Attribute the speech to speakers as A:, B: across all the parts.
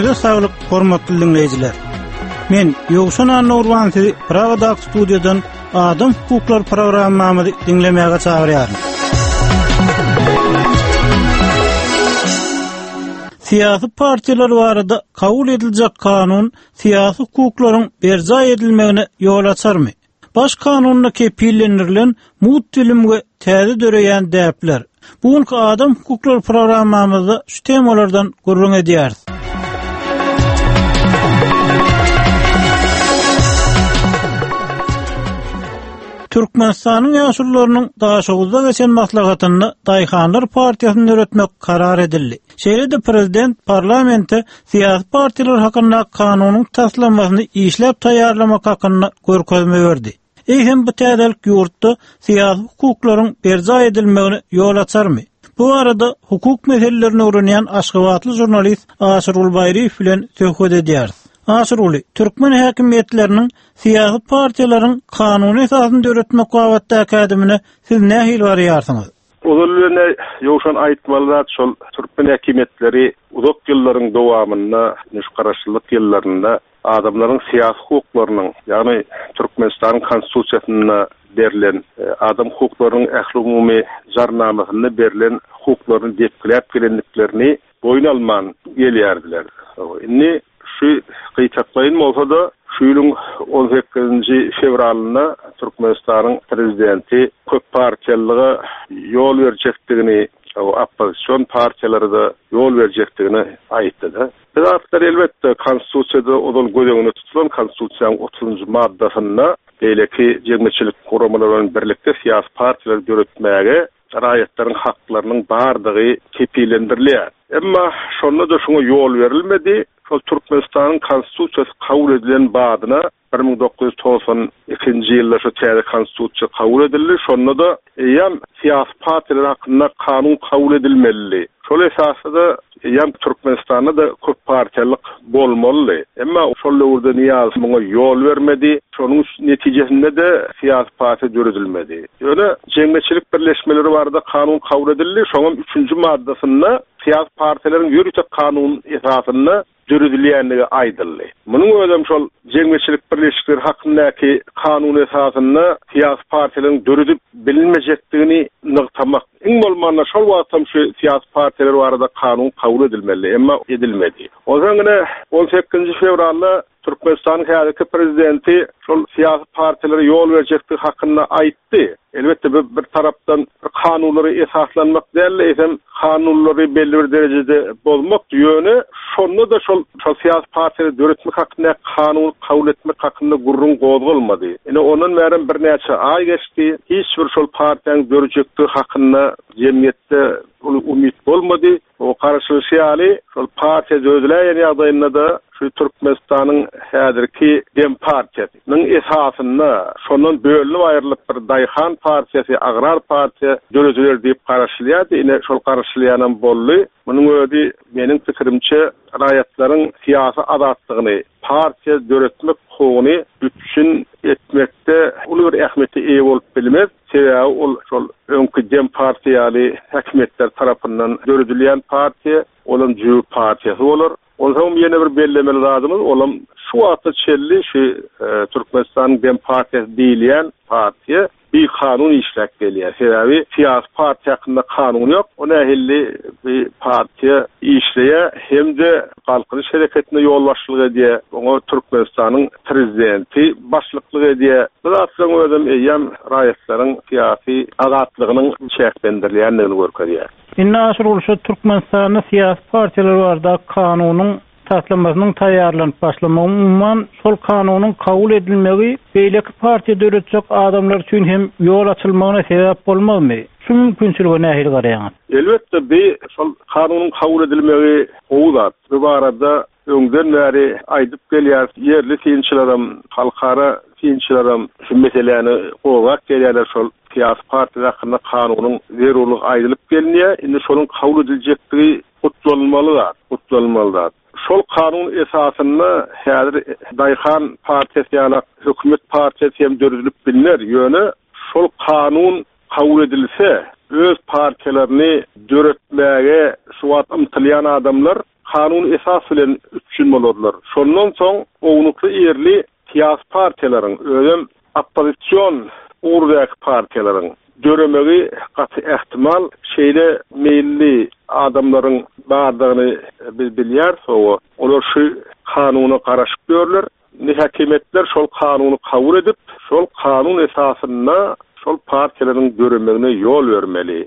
A: Janyňyza saglyk, hormatly diňleýjiler. Men Ýowşan Annagurban sizi Pragadaky studiýadan Adam hukuklary programmamyzy diňlemäge çagyrýaryn. Syýasy partiýalar barada kabul ediljek kanun syýasy hukuklaryň berjaý edilmegine ýol açarmy? Baş kanunda kepillendirilen mugt bilim we täze döreýän däpler. Bu günki Adam hukuklary programmamyzda şu temalardan gürrüň edýäris. Türkmenistanyň ýaşulularynyň Daşoguzda geçen maslahatynda Daýhanlar partiýasyny döretmek karar edildi. Şeýle-de prezident parlamente syýasy partiýalar hakyndaky kanunyň taslamasyny işläp taýýarlamak hakynda görkezme berdi. Eýsem bu täzelik ýurtda syýasy hukuklaryň berjaý edilmegine ýol açarmy? Bu barada hukuk meselelerini öwrenýän aşgabatly žurnalist Aşyrguly Baýryýew bilen söhbet edýäris. Aşyrguly, türkmen häkimiýetleriniň syýasy partiýalaryň kanuny esasyny döretmek babatdaky ädimine siz nähili garaýarsyňyz?
B: Ozal bilen Ýowşan aýtmaly zat şol türkmen häkimiýetleri uzak ýyllaryň dowamynda, indi şu garaşsyzlyk ýyllarynda adamlaryň syýasy hukuklarynyň, ýagny Türkmenistanyň Konstitusiýasynda berlen, adam hukuklarynyň ählumumy jarnamasynda berlen hukuklaryny depgiläp gelendiklerini boýun alman gelýärdiler. Indi şu gytaklaýyn bolsa-da, şu ýylyň on sekizinji fewralynda Türkmenistanyň Prezidenti köppartiýalylyga ýol berjekdigini, oppozision partiýalara-da ýol berjekdigini aýtdy-da. Bu zatlar, elbetde, Konstitusiýada ozal göz öňünde tutulan, Konstitusiýanyň otuzynjy maddasynda beýleki jemgyýetçilik guramalary bilen birlikde syýasy partiýalary döretmäge raýatlaryň haklarynyň bardygy kepillendirilýär. Emma şonda-da şuňa ýol berilmedi. Şol Türkmenistanyň Konstitusiýasy kabul edilen badyna 1992-nji ýylda şu täze Konstitusiýa kabul edildi. Şonda-da eýýäm syýasy partiýalar hakynda kanun kabul edilmelidi. Şol esasda-da eýýäm Türkmenistanda-da köppartiýalylyk bolmalydy. Emma şol döwürde Nyýazow muňa ýol bermedi. Şonuň netijesinde-de syýasy partiýa döredilmedi. Ýöne jemgyýetçilik birleşmeleri barada kanun kabul edildi. Şoňam üçünji maddasynda syýasy partiýalaryň ýörite kanun esasynda döredilýändigi aýdyldy. Munuň özem şol jemgyýetçilik birleşikleri hakyndaky kanun esasynda syýasy partiýalaryň döredip bilinmejekdigini nygtamak. Iň bolmanda şol wagtam şu syýasy partiýalar barada kanun kabul edilmelidi, emma edilmedi. Onsoň ine on sekizinji fewralda Türkmenistanyň häzirki prezidenti şol syýasy partiýalara ýol berjekdigi hakynda aýtdy. Elbetde, bu bir tarapdan bir kanunlara esaslanmak däl-de, eýsem kanunlary belli bir derejede bozmakdy. Ýöne şonda-da şol şol syýasy partiýalary döretmek hakyndaky kanuny kabul etmek hakynda gürrüň gozgalmady. Ine, ondan bärem birnäçe aý geçdi. Hiç bir şol partiýanyň dörejekdigi hakynda jemgyýetde uly umyt bolmady. O garaşylyşy ýaly, şol partiýa dörediläýen ýagdaýynda-da şu Türkmenistanyň häzirki Dempartiýasy nyň esasynda şondan bölünip aýrylyp bir daýhan partiýasy, agrar partiýa dörediler diýip garaşylýardy. Ine, şol garaşylýanam boldy. Munuň özi, meniň pikirimçe, raýatlaryň syýasy azatlygyny, partiýa döretmek hukugyny üpjün etmekde uly bir ähmiýete eýe bolup bilmez. Sebäbi ol şol öňki Dempartiýa ýaly häkimiýetler tarapyndan döredilýän partiýa, olam jübi partiýasy bolar. Onsoňam ýene bir bellemeli zadymyz, olam şu wagta çenli şu Türkmenistanyň Dempartiýasy diýilýän partiýa bikanun işläp gelýär. Sebäbi syýasy partiýa hakynda kanun ýok. O nähili bir partiýa işleýär hem-de Galkynyş hereketine ýolbaşçylyk edýär. Oňa Türkmenistanyň Prezidenti başlyklyk edýär. Bu zatlaryň özem eýýäm raýatlaryň syýasy azatlygynyň çäklendirilýändigini görkezýär.
A: Indi Aşyrguly şu Türkmenistanda syýasy partiýalar baradaky kanunyň taslamasynyň taýýarlanyp başlamagy, umuman, şol kanunyň kabul edilmegi beýleki partiýa döretjek adamlar üçin hem ýol açylmagyna sebäp bolmazmy? Şu mümkinçilige nähili garaýaňyz?
B: Elbetde, bi şol kanunyň kabul edilmegi gowy zat. Bu barada öňden bäri aýdyp gelýäris. Ýerli synçylaram, halkara synçylaram şu meseläni gozgap gelýärler. Şol syýasy partiýalar hakynda kanunyň zerurlygy aýdylyp gelinýär. Indi şonuň kabul ediljekdigi gutlanylmaly zat, gutlanylmaly zat. Şol kanun esasynda häzir Daýhan partiýasy ýaly hökümet partiýasy hem döredilip bilner. Ýöne şol kanun kabul edilse, öz partiýalaryny döretmäge şu wagt ymtylýan adamlar kanuny esas bilen üpjün. üpjün bolarlar. Şondan soň ownukly-irili syýasy partiýalaryň, özem oppozision ugurdaky partiýalaryň döremegi gaty ähtimal. Şeýle meýilli adamlaryň bardygyny biz bilýäris. Hawa, olar şu kanuna garaşyp ýörler. Indi häkimiýetler şol kanuny kabul edip, şol kanun esasynda şol partiýalaryň döremegine ýol bermeli.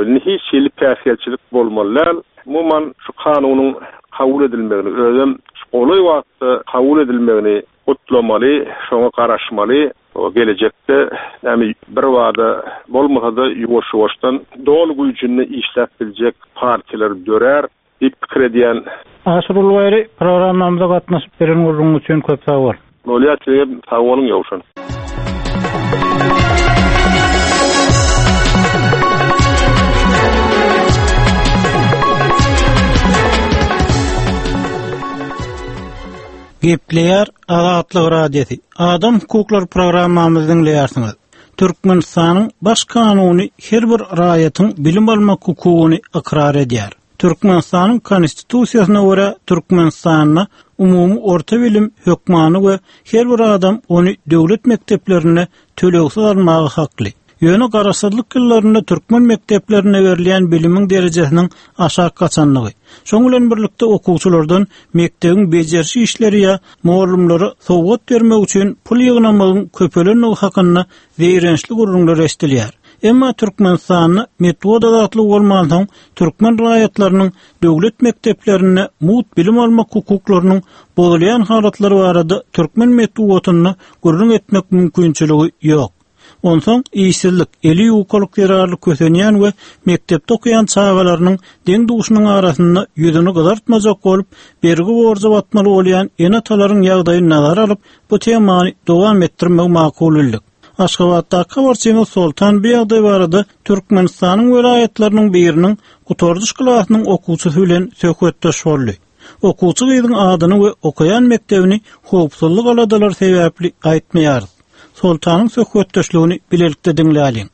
B: Indi hiç hili päsgelçilik bolmaly däl. Umuman, şu kanunyň kabul edilmegini, özem şu golaý wagtda kabul edilmegini gutlamaly, şoňa garaşmaly. Gelejekde näme birbada bolmasa-da ýuwaş-ýuwaşdan doly güýjünde işläp biljek partiýalar dörär. Diýip pikir edýän.
A: Aşyr Ulbaýry programmamyza gatnaşyp beren gürrüňiň üçin köp sag bol.
B: Bolýar sizem sag boluň Ýowşan.
A: Gepleýär Azatlyk Radiosy. Adam hukuklary programmamyzy diňleýärsiňiz. Türkmenistanyň Baş kanuny her bir raýatyň bilim almak hukugyny ykrar edýär. Türkmenistanyň Konstitusiýasyna görä, Türkmenistanda umumy orta bilim hökmany we her bir adam ony döwlet mekdeplerinde tölegsiz almaga hakly. Ýöne garaşsyzlyk ýyllarynda türkmen mekdeplerinde berilýän bilimiň derejesiniň aşak gaçandygy, şoň bilen birlikde okuwçylardan mekdebiň bejeriş işleri ýa mugallymlara sowgat bermek üçin pul ýygnamagyň köpelendigi hakynda zeýrençli gürrüňler eşidilýär. Emma Türkmenistanda metbugat azatlygy bolmansoň, türkmen raýatlarynyň döwlet mekdeplerinde mugt bilim almak hukuklarynyň bozulýan halatlary barada türkmen metbugatynda gürrüň etmek mümkinçiligi ýok. Onsoň işsizlik, eli ýukalyk zerarly kösenýän we mekdepde okaýan çagalarynyň deň-duşunyň arasynda ýüzüni gyzartmajak bolup, bergi-borja batmaly bolýan ene-atalaryň ýagdaýyny nazara alyp, bu temany dowam etdirmegi makul bildik. Aşgabatdaky habarçymyz Soltan bu ýagdaý barada Türkmenistanyň welaýatlarynyň biriniň gutardyş klasynyň okuwçysy bilen söhbetdeş boldy. Okuwçy gyzyň adyny we okaýan mekdebini howpsuzlyk aladalary sebäpli aýtmaýarys. Soltanyň söhbetdeşligini bilelikde diňläliň.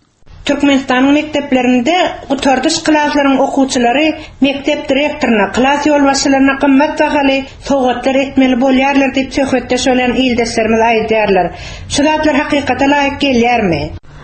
C: Türkmenistanyň mekdeplerinde gutardyş klaslaryň okuwçylary mekdep direktoryna, klas ýolbaşçylaryna gymmat bahaly sowgatlar etmeli bolýarlar diýip söhbetdeş bolýan ildeşlerimiz aýdýarlar. Şu zatlar hakykata laýyk gelýärmi?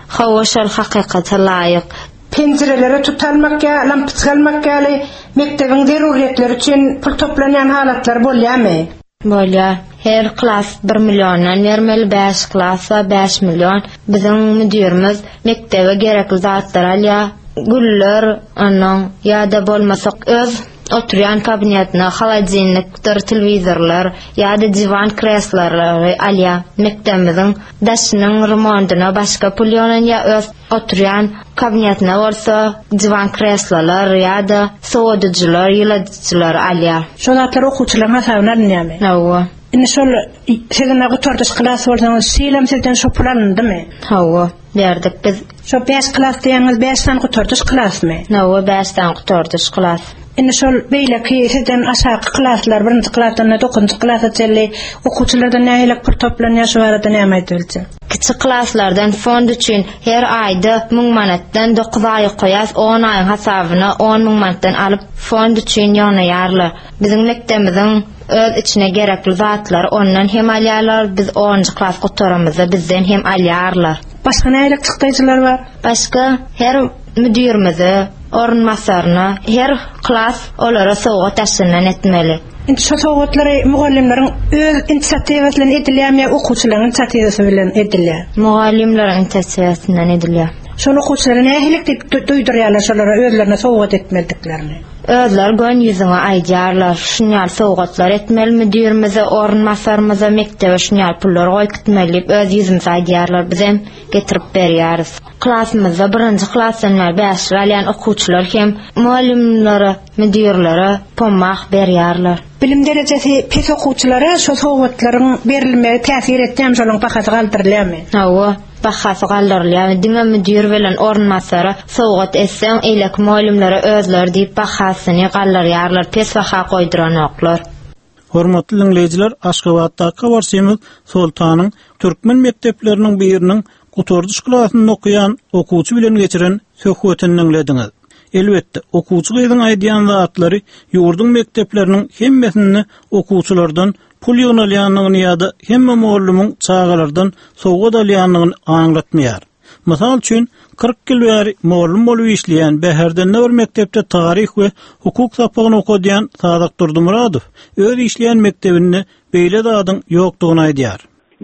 D: Hawa şol hakykata laýyk.
C: Penjirelere tut almak ýa lampiçka almak ýaly mekdebiň zerurýetleri üçin pul toplanýan halatlar bolýarmy?
D: Bolýar. Her klas bir milliondan bermeli, bäş klasa bäş million. Biziň müdirimiz mekdebe gerekli zatlary alýar. Güller, onnoň ýa-da bolmasa öz oturýan kabinetine holodilnikdir, telewizorlar ýa-da diwan kreslarlary alýar. Mekdebimiziň daşynyň remontyna başga pul ýygnanýar, öz Oturýan kabinetine bolsa diwan-kreslolar ýa-da sowadyjylar, ýyladyjylar alýar.
C: Şo zatlar okuwçylaryň hasabyna alynýarmy?
D: Hawa.
C: Indi şol siz indi gutardyş klas bolsaňyz, şu ýylam sizden şo pul alyndymy?
D: Hawa, berdik biz.
C: Şo bäş klas diýýäňiz, bäş sany gutardyş klasmy?
D: Hawa, bäş sany gutardyş klas.
C: Indi şol beýleki sizden aşaky klaslar, birinji klasdan dokuzynjy klasa çenli okuwçylardan nähili pul toplanýar, şu barada näme aýdyp biljek?
D: Kiçi klaslardan fond üçin her aýda müň manatdan dokuz aý okaýas, on aýyň hasabyna on müň manatdan alyp fond üçin ýygnaýarlar. Biziň mekdebimiziň öz içine gerekli zatlary ondan hem alýarlar, biz onunjy klas gutaramyzda bizden hem alýarlar.
C: Başga nähili çykdaýjylar bar?
D: Başga her müdirimize, orunbasaryna, her klas olara sowgat daşyndan etmeli.
C: Indi şo sowgatlary mugallymlaryň öz inisiatiwasy bilen edilýärmi ýa okuwçylaryň inisiatiwasy bilen edilýär?
D: Mugallymlaryň inisiatiwasyndan edilýär.
C: Şol okuwçylara nähili diýip duýdurýarlar şolara özlerine sowgat etmelidiklerini?
D: Özleri göni ýüzüňe aýdýarlar, şun ýaly sowgatlar etmeli müdirimize, orunbasarymyza, mekdebe şun ýaly pullar goýup gitmeli diýip öz ýüzümize aýdýarlar, bizem getirip berýäris. Klasymyzda birinji klasdan bäri bäşlik alýan okuwçylar hem mugallymlara, müdirlere pommah berýärler.
C: Bilim derejesi pes okuwçylara şo sowgatlaryň berilmegi täsir etýärmi, şolaryň bahasy galdyrylýarmy?
D: Hawa, bahasy galdyrylýar. Diňe müdir bilen orunbasara sowgat etseň, eýleki mugallymlara özleri diýip bahasyny galdyrýarlar, pes baha goýduranoklar.
A: Hormatly diňleýjiler, Aşgabatdaky habarçymyz Soltanyň türkmen mekdepleriniň biriniň gutardyş klasynda okaýan okuwçy bilen geçiren söhbetini diňlediňiz. Elbetde, okuwçy gyzyň aýdýan zatlary ýurduň mekdepleriniň hemmesinde okuwçylardan pul ýygnalýandygyny ýa-da hemme mugallymyň çagalardan sowgat alýandygyny aňlatmaýar. Mysal üçin, 40 ýyl bäri mugallym bolup işleýän, Bäherdende bir mekdepde taryh we hukuk sapagyny okadýan Sadak Durdymyradow öz işleýän mekdebinde beýle zadyň ýokdugyny aýdýar.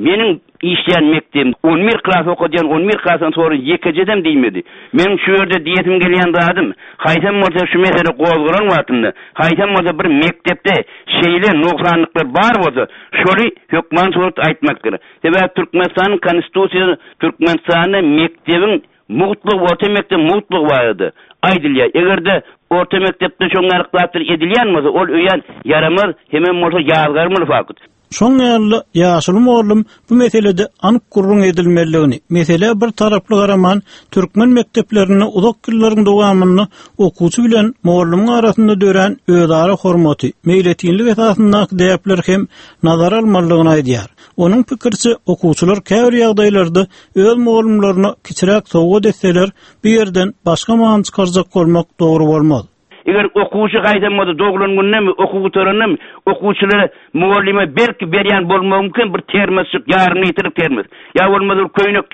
E: Meniň işleýän mekdebim on bir klas okadýan, on bir klasdan sonra ýekejedem diýmedi. Meniň şu ýerde diýesim gelýän zadym, haýsam bolsa şu mesele gozgalan wagtynda, haýsam bolsa bir mekdepde şeýle nogsanlyklar bar bolsa, şoly hökman suratda aýtmak gerek. Sebäbi Türkmenistanyň Konstitusiýasy Türkmenistanda mekdebiň mugtlygy, orta mekdebiň mugtlygy barada aýdylýar. Eger-de orta mekdepde şoň ýaly zatlar edilýän bolsa, ol öýän ýaramaz, hemem bolsa ýazgarmaly fakt.
A: Şoň ýaly-da, ýaşuly mugallym bu meselede anyk gürrüň edilmelidigini, meselä bir taraply garaman, türkmen mekdeplerinde uzak ýyllaryň dowamynda okuwçy bilen mugallymyň arasynda dörän özara hormaty, meýletinlik esasyndaky däpleri hem nazara almalydygyny aýdýar. Onuň pikiriçe, okuwçylar käbir ýagdaýlarda öz mugallymlaryna kiçiräk sowgat etseler, bu ýerden başga many çykarjak bolmak dogry bolmaz.
E: Eger okuwçy haýsam bolsa doglan günündemi, okuw gutarandamy, okuwçylara mugallyma belki berýän bolmagy mümkin bir termosjyk, ýarym litrlik termos, ýa bolmasa bir köýnek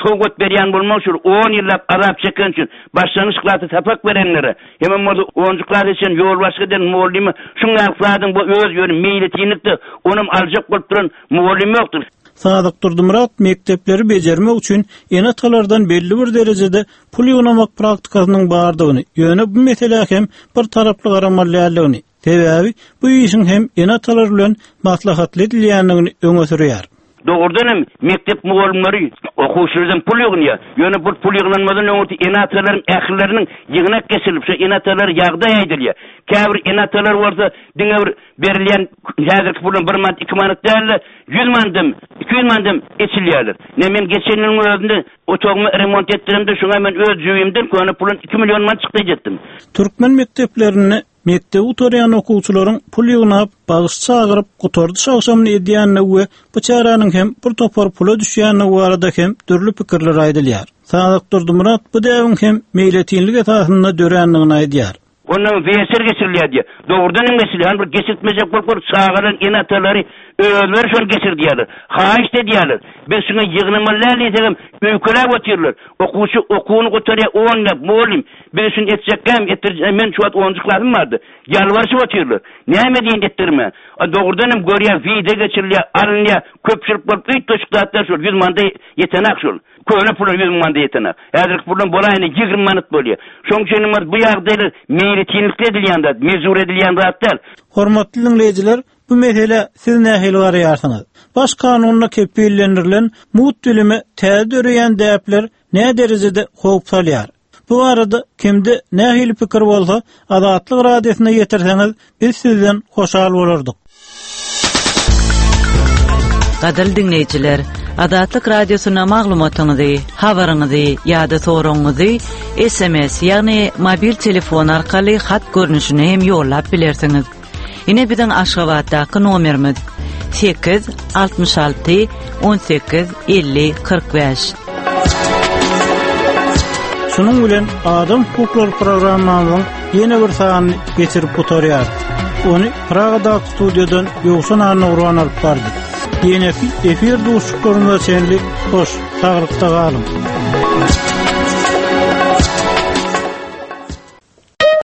E: sowgat berýän bolmagy şol on ýyllap azap çeken üçin başlangyç klasda sapak berenlere, hemem bolsa onunjy klasa çenli ýolbaşçylyk eden mugallyma şuň ýaly zadyň bu öz ýöne meýletinlikde onam aljak bolup duran mugallym ýokdur.
A: Sadyk Durdymyrat mekdepleri bejermek üçin ene-atalardan belli bir derejede pul ýygnamak praktikasynyň bardygyny, ýöne bu meselä hem bir taraply garamaly däldigini, sebäbi bu işiň hem ene-atalar bilen maslahatly edilýändigini öňe sürýär.
E: Dogrudan hem, mekdep mugallymlary okuwçylardan pul ýygnýar. Ýöne bu pul ýygnanmadan öňürti ene-atalaryň ählileriniň ýygnak geçirilip, şo ene-atalara ýagdaý aýdylýar. Käbir ene-atalar bolsa diňe bir berilýän häzirki puldan bir manat, iki manat däl-de, ýüz manadam, 200 manadam eçilýärler. Ine, men geçen ýylyň özünde otagymy remont etdiremde, şoňa men öz jübimden köne puldan iki million manat çykdaýjy etdim.
A: Türkmen mekdeplerinde mekdebi gutarýan okuwçylaryň pul ýygnap, bagyş çagyryp, gutardyş agşamyny edýändigi we bu çäräniň hem bir topar pula düşýändigi barada hem dürli pikirler aýdylýar. Sadyk Durdymyrat bu däbiň hem meýletinlik esasynda dörändigini aýdýar.
E: Ondan weçer geçirilýär diýýär. Dogrudan hem geçirilýär. Hany bir geçirtmejek bolup görüp çagalaryň ene-atalary özleri şony geçirdýärler. Haýyşt edýärler. Biz şuňa ýygnamaly däl diýsegem öýkeläp otyrlar. Okuwçy okuwyny gutarýar on ýyllap mugallym biz şuny etjekkäm etdirjek men şu wagt onunjy klasym bardy. Ýalbaryşyp otyrlar. Näme diýen etdirme. A dogrudan hem görýär wideo geçirilýär alynýar köpçülik bolup üýtgeşik zatlar şol ýüz manada ýetenak şol. Köne pula 100 manada ýetenak. Häzirki puldan bolaýanda 20 manat bolýar. Şonuň üçin hem bu ýagdaýlar meýletinlikde edilýän zat, mejbur edilýän zat däl.
A: Hormatly diňleýjiler, bu meselä siz nähili garaýarsyňyz? Baş kanunda kepillendirilen mugt bilime täze döreýän däpler näderejede howp salýar? Bu barada kimde nähili pikir bolsa, Azatlyk Radiosyna ýetirseňiz, biz sizden hoşal bolardyk.
F: Gadyrly diňleýjiler, Azatlyk Radiosyna maglumatyňyzy, habaryňyzy ýa-da soragyňyzy SMS, ýagny mobil telefon arkaly hat görnüşinde hem ýollap bilersiňiz. Ine biziň Aşgabatdaky nomerimiz 8 66 18 50 45.
A: Şunuň bilen Adam hukuklary programmamyzyň ýene bir sanyny geçirip gutarýarys. Ony Pragadaky studiýadan Ýowşan Annagurban alyp bardy. Ýeneki efir duşuşyklarymyza çenli hoş, saglykda galyň.